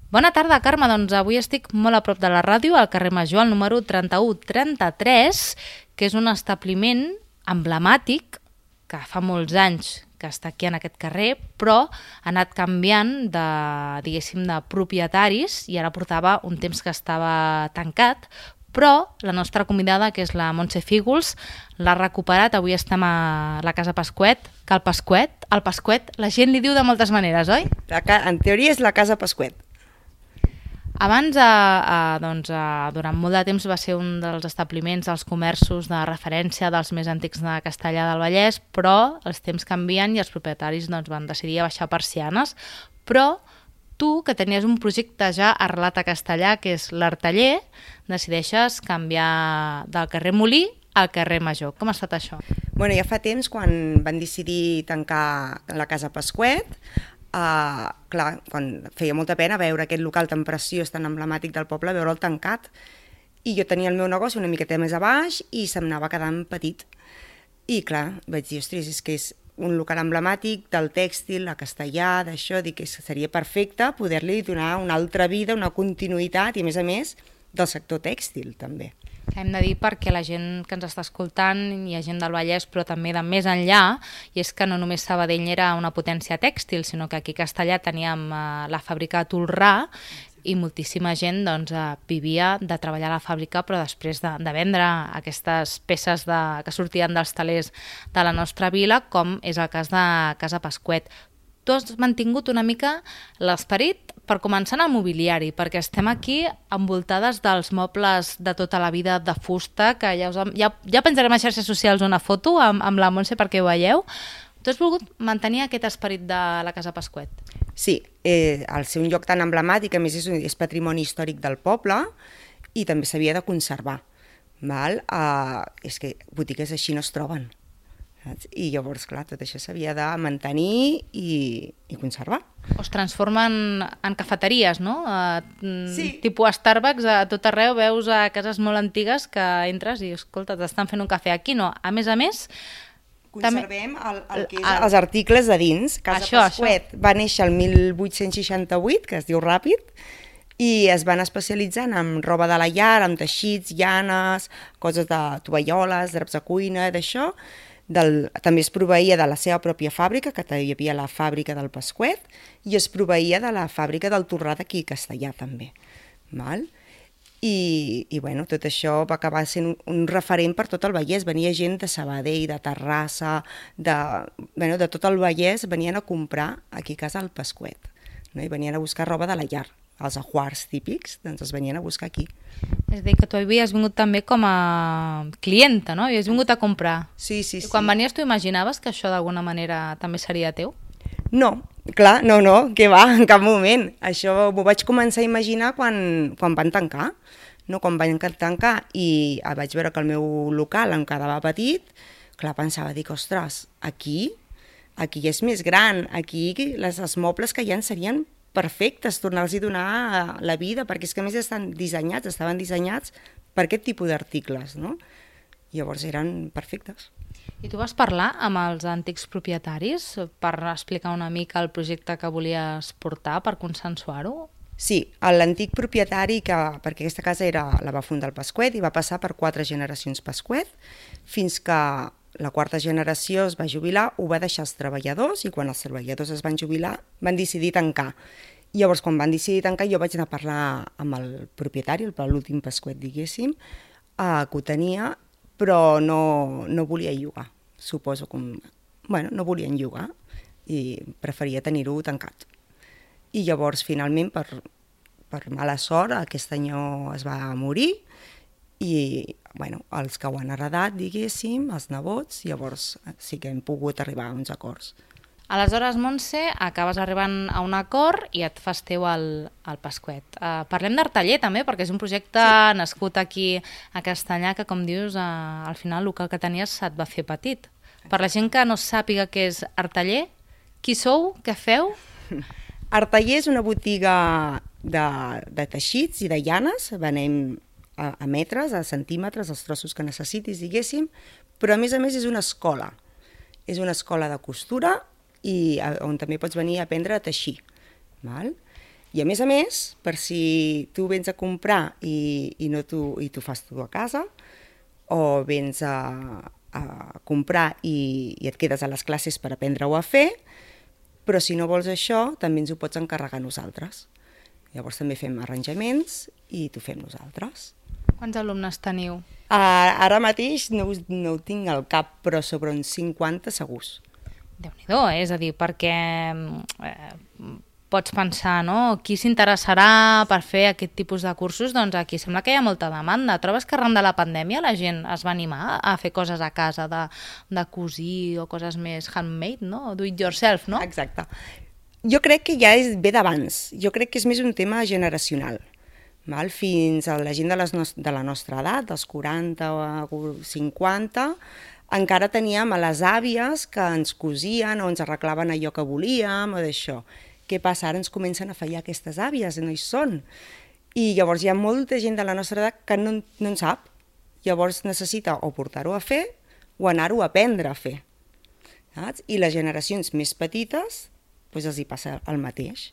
Bona tarda, Carme. Doncs avui estic molt a prop de la ràdio, al carrer Major, al número 3133, que és un establiment emblemàtic que fa molts anys que està aquí en aquest carrer, però ha anat canviant de, diguéssim, de propietaris i ara portava un temps que estava tancat, però la nostra convidada, que és la Montse Fígols, l'ha recuperat. Avui estem a la Casa Pasquet, que el Pasquet, la gent li diu de moltes maneres, oi? En teoria és la Casa Pasquet. Abans, durant molt de temps, va ser un dels establiments, dels comerços de referència dels més antics de Castellar del Vallès, però els temps canvien i els propietaris van decidir baixar persianes. Però tu, que tenies un projecte ja arrelat a Castellar, que és l'Arteller, decideixes canviar del carrer Molí al carrer Major. Com ha estat això? Bueno, ja fa temps, quan van decidir tancar la Casa Pasquet, clar, quan feia molta pena veure aquest local tan preciós, tan emblemàtic del poble, veure'l tancat, i jo tenia el meu negoci una miqueta més a baix i se'm anava quedant petit. I clar, vaig dir, ostres, és que és un local emblemàtic del tèxtil, a Castellar, d'això, dic que seria perfecte poder-li donar una altra vida, una continuïtat i, a més, del sector tèxtil, també. Hem de dir perquè la gent que ens està escoltant, hi ha gent del Vallès, però també de més enllà, i és que no només Sabadell era una potència tèxtil, sinó que aquí a Castellar teníem la fàbrica de Tolrà i moltíssima gent vivia de treballar a la fàbrica, però després de vendre aquestes peces que sortien dels talers de la nostra vila, com és el cas de Casa Pasquet. Tu has mantingut una mica l'esperit, per començar, en el mobiliari, perquè estem aquí envoltades dels mobles de tota la vida de fusta, que ja penjarem a xarxes socials una foto amb la Montse perquè ho veieu. Tu has volgut mantenir aquest esperit de la Casa Pasquet? Sí, al ser un lloc tan emblemàtic, a més és patrimoni històric del poble i també s'havia de conservar. És que botigues així no es troben. I llavors, clar, tot això s'havia de mantenir i conservar. O es transformen en cafeteries, no? Sí. Tipus Starbucks, a tot arreu veus a cases molt antigues que entres i, escolta, t'estan fent un cafè. Aquí no. A més, conservem el que és els articles de dins. Casa Pasquet va néixer el 1868, que es diu ràpid, i es van especialitzant en roba de la llar, en teixits, llanes, coses de tovalloles, draps de cuina, d'això. També es proveïa de la seva pròpia fàbrica, que hi havia la fàbrica del Pasquet, i es proveïa de la fàbrica del Tolrà d'aquí a Castellar també. I bueno, tot això va acabar sent un referent per tot el Vallès. Venia gent de Sabadell, de Terrassa, de tot el Vallès, venien a comprar aquí a casa el Pasquet, no? I venien a buscar roba de la llar. Els ajuars típics, doncs els venien a buscar aquí. És a dir, que tu havies vingut també com a clienta, no? Havies vingut a comprar. Sí. I quan venies tu imaginaves que això d'alguna manera també seria teu? No, clar, no, què va, en cap moment. Això m'ho vaig començar a imaginar quan van tancar. No, quan van tancar i vaig veure que el meu local em quedava petit, clar, pensava, dic, ostres, aquí és més gran, aquí els mobles que hi ha serien perfectes, tornar-los a donar la vida, perquè és que a més estaven dissenyats per aquest tipus d'articles, no? Llavors eren perfectes. I tu vas parlar amb els antics propietaris per explicar una mica el projecte que volies portar, per consensuar-ho? Sí, l'antic propietari, perquè aquesta casa la va fundar el Pasquet i va passar per 4 generacions Pasquet, fins que la 4ª generació es va jubilar, ho va deixar als treballadors, i quan els treballadors es van jubilar van decidir tancar. Llavors, quan van decidir tancar, jo vaig anar a parlar amb el propietari, l'últim Pasquet, diguéssim, que ho tenia, però no volia llogar. Suposo que no volien llogar i preferia tenir-ho tancat. I llavors, finalment, per mala sort, aquest senyor es va morir i els que ho han heredat, diguéssim, els nebots, llavors sí que hem pogut arribar a uns acords. Aleshores, Montse, acabes arribant a un acord i et fas teu el Pasquet. Parlem d'Arteller també, perquè és un projecte nascut aquí a Castellar que, com dius, al final el local que tenies et va fer petit. Per la gent que no sàpiga què és Arteller, qui sou, què feu? Arteller és una botiga de teixits i de llanes, venem a metres, a centímetres, els trossos que necessitis, diguéssim, però a més és una escola. És una escola de costura i on també pots venir a aprendre a teixir. I a més, per si tu vens a comprar i tu fas tu a casa, o vens a comprar i et quedes a les classes per aprendre-ho a fer, però si no vols això, també ens ho pots encarregar nosaltres. Llavors també fem arranjaments i t'ho fem nosaltres. Quants alumnes teniu? Ara mateix no ho tinc al cap, però sobre uns 50 segurs. Déu-n'hi-do, és a dir, perquè pots pensar, no? Qui s'interessarà per fer aquest tipus de cursos? Doncs aquí sembla que hi ha molta demanda. Trobes que arran de la pandèmia la gent es va animar a fer coses a casa, de cosir o coses més handmade, no? Do it yourself, no? Exacte. Jo crec que ja ve d'abans. Jo crec que és més un tema generacional. Val? Fins a la gent de la nostra edat, dels 40 o 50, encara teníem a les àvies que ens cosien o ens arreglaven allò que volíem o d'això. Què passa? Ara ens comencen a fallar aquestes àvies i no hi són. I llavors hi ha molta gent de la nostra edat que no en sap. Llavors necessita o portar-ho a fer o anar-ho a aprendre a fer. Saps? I les generacions més petites doncs els hi passa el mateix.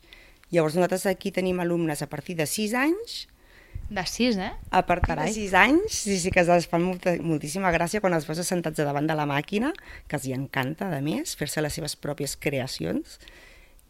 Llavors nosaltres aquí tenim alumnes a partir de 6 anys. De 6, eh? A partir de 6 anys, sí que es fan moltíssima gràcia quan els veus assentats davant de la màquina, que els hi encanta, a més, fer-se les seves pròpies creacions.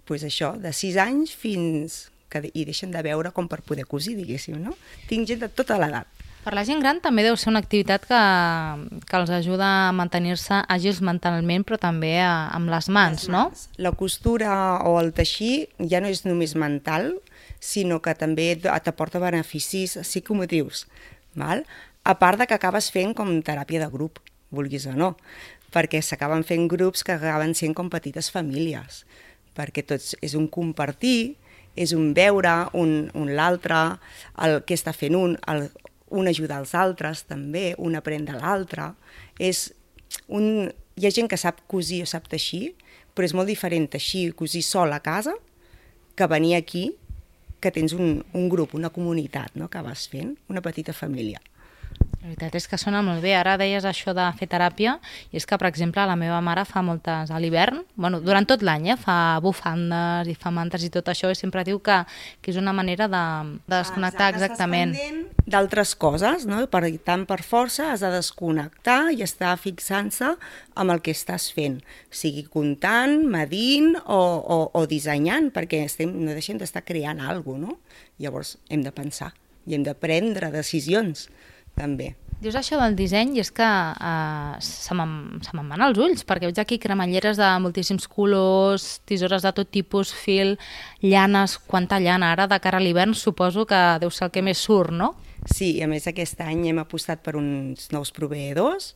Doncs això, de 6 anys fins que hi deixen de veure com per poder cosir, diguéssim, no? Tinc gent de tota l'edat. Per la gent gran també deu ser una activitat que els ajuda a mantenir-se àgils mentalment, però també amb les mans, no? La costura o el teixir ja no és només mental, sinó que també t'aporta beneficis psicomotius, val? A part de que acabes fent com teràpia de grup, vulguis o no, perquè s'acaben fent grups que acaben sent com petites famílies, perquè tots és un compartir, és un veure l'altre, el que està fent un ajudar els altres també, un aprèn de l'altre. Hi ha gent que sap cosir o sap teixir, però és molt diferent teixir i cosir sol a casa que venir aquí, que tens un grup, una comunitat, no?, que vas fent, una petita família. La veritat és que sona molt bé. Ara deies això de fer teràpia, i és que, per exemple, la meva mare fa moltes a l'hivern, bueno, durant tot l'any, fa bufandes i fa mantes i tot això, i sempre diu que és una manera de desconnectar exactament. Estàs pendent d'altres coses, no? Tant per força has de desconnectar i estar fixant-se amb el que estàs fent, sigui comptant, medint o dissenyant, perquè no deixem d'estar creant alguna cosa, no? Llavors hem de pensar i hem de prendre decisions, també. Dius això del disseny i és que se me'n van els ulls, perquè veig aquí cremalleres de moltíssims colors, tisores de tot tipus, fil, llanes, quanta llana. Ara, de cara a l'hivern, suposo que deu ser el que més surt, no? Sí, a més aquest any hem apostat per uns nous proveïdors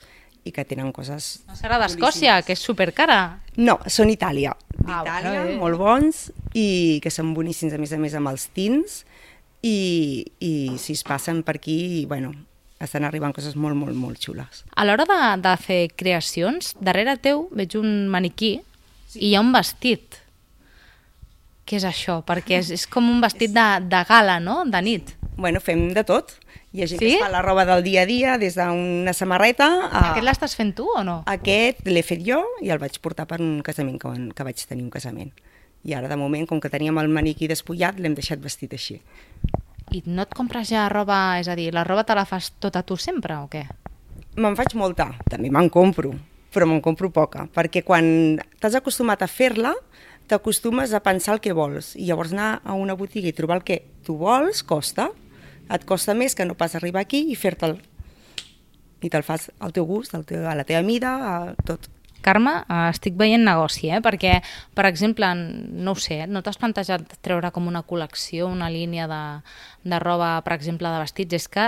i que tenen coses... No serà d'Escòcia, que és supercara? No, són Itàlia. D'Itàlia, bueno, molt bons, i que són boníssims, a més amb els tints, i si es passen per aquí, bueno, estan arribant coses molt, molt, molt xules. A l'hora de fer creacions, darrere teu veig un maniquí i hi ha un vestit. Què és això? Perquè és com un vestit de gala, no?, de nit. Bueno, fem de tot. Hi ha gent que es fa la roba del dia a dia, des d'una samarreta... Aquest l'estàs fent tu o no? Aquest l'he fet jo i el vaig portar per un casament, que vaig tenir un casament. I ara, de moment, com que teníem el maniquí despullat, l'hem deixat vestit així. I no et compres ja roba, és a dir, la roba te la fas tota tu sempre o què? Me'n faig molta, també me'n compro, però me'n compro poca, perquè quan t'has acostumat a fer-la, t'acostumes a pensar el que vols, i llavors anar a una botiga i trobar el que tu vols costa, et costa més que no pas arribar aquí i fer-te'l. I te'l fas al teu gust, a la teva mida, a tot. Carme, estic veient negoci, perquè, per exemple, no ho sé, no t'has plantejat treure com una col·lecció, una línia de roba, per exemple, de vestits? És que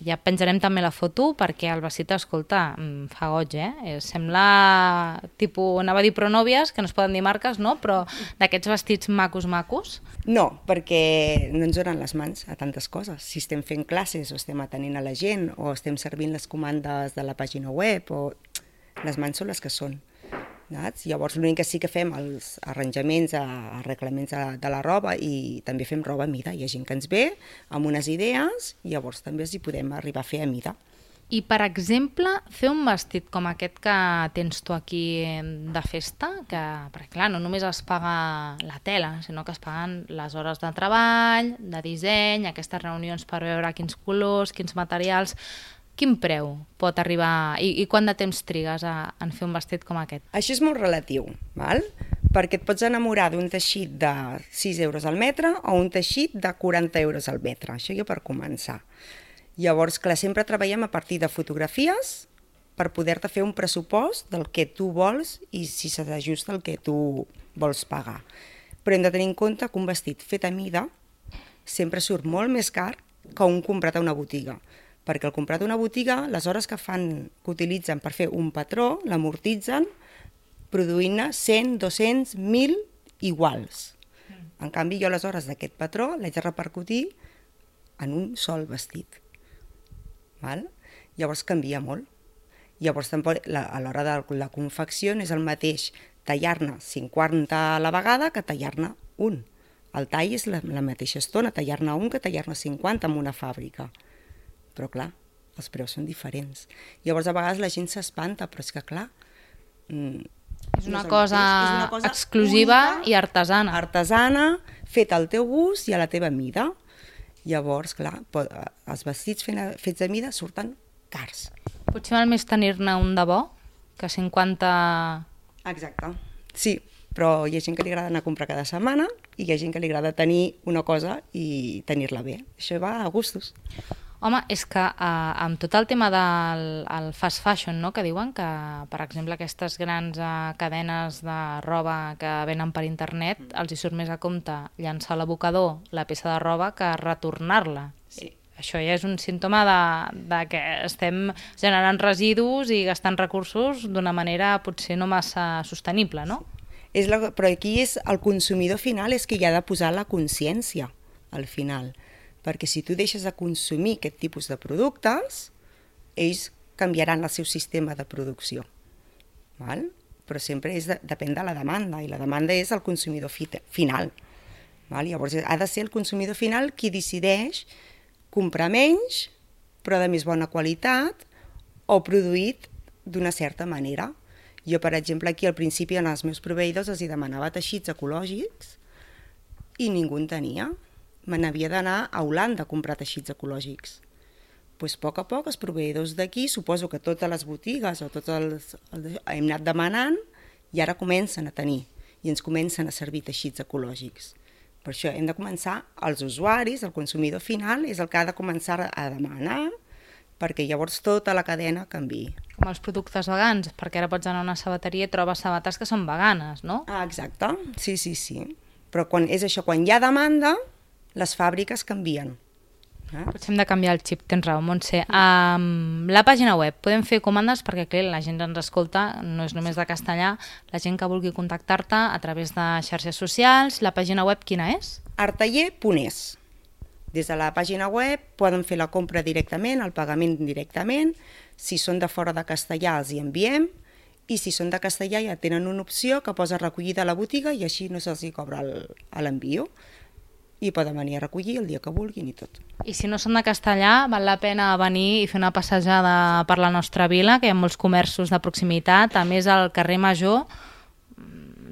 ja penjarem també la foto perquè el vestit, escolta, fa goig, Sembla, tipus, anava a dir pronòvies, que no es poden dir marques, no? Però d'aquests vestits macos. No, perquè no ens donen les mans a tantes coses. Si estem fent classes o estem atenent a la gent o estem servint les comandes de la pàgina web o... Les mans són les que són. Saps? Llavors l'únic que sí que fem els arranjaments, arreglaments de la roba, i també fem roba a mida. Hi ha gent que ens ve amb unes idees i llavors també els hi podem arribar a fer a mida. I, per exemple, fer un vestit com aquest que tens tu aquí de festa, perquè clar, no només es paga la tela, sinó que es paguen les hores de treball, de disseny, aquestes reunions per veure quins colors, quins materials. Quin preu pot arribar i quant de temps trigues en fer un vestit com aquest? Això és molt relatiu, val? Perquè et pots enamorar d'un teixit de 6 euros al metre o un teixit de 40 euros al metre, això ja per començar. Llavors, clar, sempre treballem a partir de fotografies per poder-te fer un pressupost del que tu vols i si s'ajusta el que tu vols pagar. Però hem de tenir en compte que un vestit fet a mida sempre surt molt més car que un comprat a una botiga, perquè el comprat a una botiga, les hores que utilitzen per fer un patró, l'amortitzen produint-ne 100, 200, 1.000 iguals. En canvi, jo les hores d'aquest patró l'haig de repercutir en un sol vestit. Val? Llavors canvia molt. Llavors a l'hora de la confecció no és el mateix tallar-ne 50 a la vegada que tallar-ne un. El tall és la mateixa estona, tallar-ne un que tallar-ne 50 en una fàbrica. Però clar, els preus són diferents. Llavors a vegades la gent s'espanta, però és que clar... És una cosa exclusiva única, i artesana. Artesana, feta al teu gust i a la teva mida. Llavors, clar, els vestits fets a mida surten cars. Potser val més tenir-ne un de bo que 50... Exacte, sí, però hi ha gent que li agrada anar a comprar cada setmana i hi ha gent que li agrada tenir una cosa i tenir-la bé. Això va a gustos. Home, és que amb tot el tema del fast fashion, no?, que diuen que, per exemple, aquestes grans cadenes de roba que venen per internet, els hi surt més a compte llançar a l'abocador la peça de roba que retornar-la. Sí. Això ja és un símptoma de que estem generant residus i gastant recursos d'una manera potser no massa sostenible, no? Però aquí és el consumidor final és que hi ha de posar la consciència al final. Perquè si tu deixes de consumir aquest tipus de productes, ells canviaran el seu sistema de producció. Val? Però sempre depèn de la demanda, i la demanda és el consumidor final. Val? Llavors ha de ser el consumidor final qui decideix comprar menys, però de més bona qualitat, o produït d'una certa manera. Jo, per exemple, aquí al principi en els meus proveïdors els demanava teixits ecològics i ningú en tenia. Me n'havia d'anar a Holanda a comprar teixits ecològics. Doncs a poc els proveïdors d'aquí, suposo que totes les botigues o tots hem anat demanant i ara comencen a tenir i ens comencen a servir teixits ecològics. Per això hem de començar, els usuaris, el consumidor final, és el que ha de començar a demanar perquè llavors tota la cadena canviï. Com els productes vegans, perquè ara pots anar a una sabateria i trobes sabates que són veganes, no? Exacte, sí. Però quan hi ha demanda, les fàbriques canvien. Potser hem de canviar el xip, tens raó, Montse. La pàgina web, podem fer comandes perquè clar, la gent ens escolta, no és només de castellà, la gent que vulgui contactar-te a través de xarxes socials, la pàgina web quina és? artaller.es. Des de la pàgina web poden fer la compra directament, el pagament directament, si són de fora de castellà els hi enviem, i si són de castellà ja tenen una opció que posa recollida a la botiga i així no se'ls cobra l'envio. I poden venir a recollir el dia que vulguin i tot. I si no són de castellà, val la pena venir i fer una passejada per la nostra vila, que hi ha molts comerços de proximitat. A més, el carrer Major,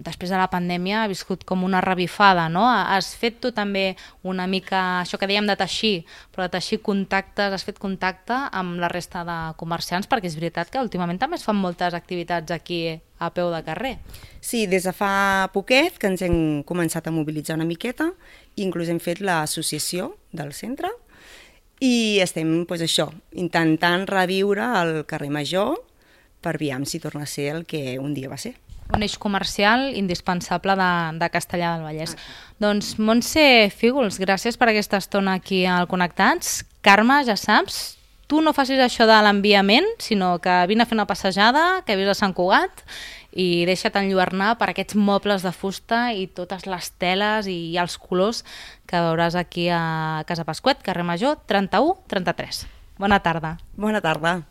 després de la pandèmia, ha viscut com una revifada, no? Has fet tu també una mica, això que dèiem de teixir, però de teixir contactes, has fet contacte amb la resta de comerciants, perquè és veritat que últimament també es fan moltes activitats aquí a peu de carrer. Sí, des de fa poquet que ens hem començat a mobilitzar una miqueta, inclús hem fet l'associació del centre i estem, intentant reviure el carrer Major per veure si torna a ser el que un dia va ser. Un eix comercial indispensable de Castellar del Vallès. Doncs Montse Fígols, gràcies per aquesta estona aquí al Connectats. Carme, ja saps, tu no facis això de l'enviament, sinó que vine a fer una passejada, que vius a Sant Cugat, i deixa't enlluernar per aquests mobles de fusta i totes les teles i els colors que veuràs aquí a Casa Pasquet, carrer Major 31-33. Bona tarda. Bona tarda.